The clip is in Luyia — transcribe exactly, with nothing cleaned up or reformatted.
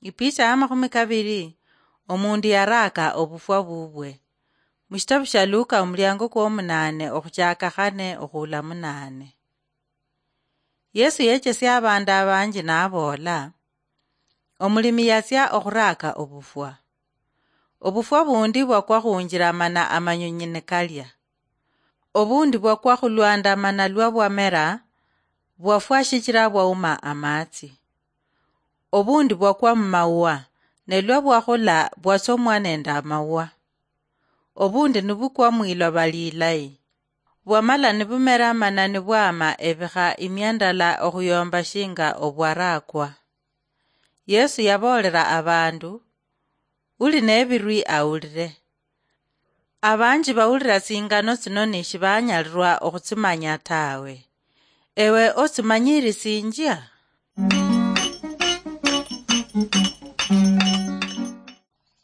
Ipicha ya makhumi kabiri, omundu yaraaka obufwa bubwe. Mushitabu shia Luka, omuliango kwomunaane, okhuchaaka khane okhuula munaane. Yesu yechesia abandu abanji naboola, "Omulimi yatsia okhuraaka obufwa. Obufwa bundi bwakwa khunjira mana amanyonyi nikalia. Obundi bwakwa khulwanda mana lwa bwamera, bwafwa shichira bwauma amatsi. Obundi bwakwa mumaua, ne lwa bwakhula bwatsomwa nende amaua. Obundi nibukwa mwiloba lilayi. Bwamala nibumera mana nibwama ebikha imia ndala okhuyomba shinga obwaraakwa." Yesu yaboolera abandu, "Uli nebirwi awulire." Abanji bawulira tsingano tsino ni shibanyalirwa okhutsimanya tawe. Ewe otsimanyirisinjia?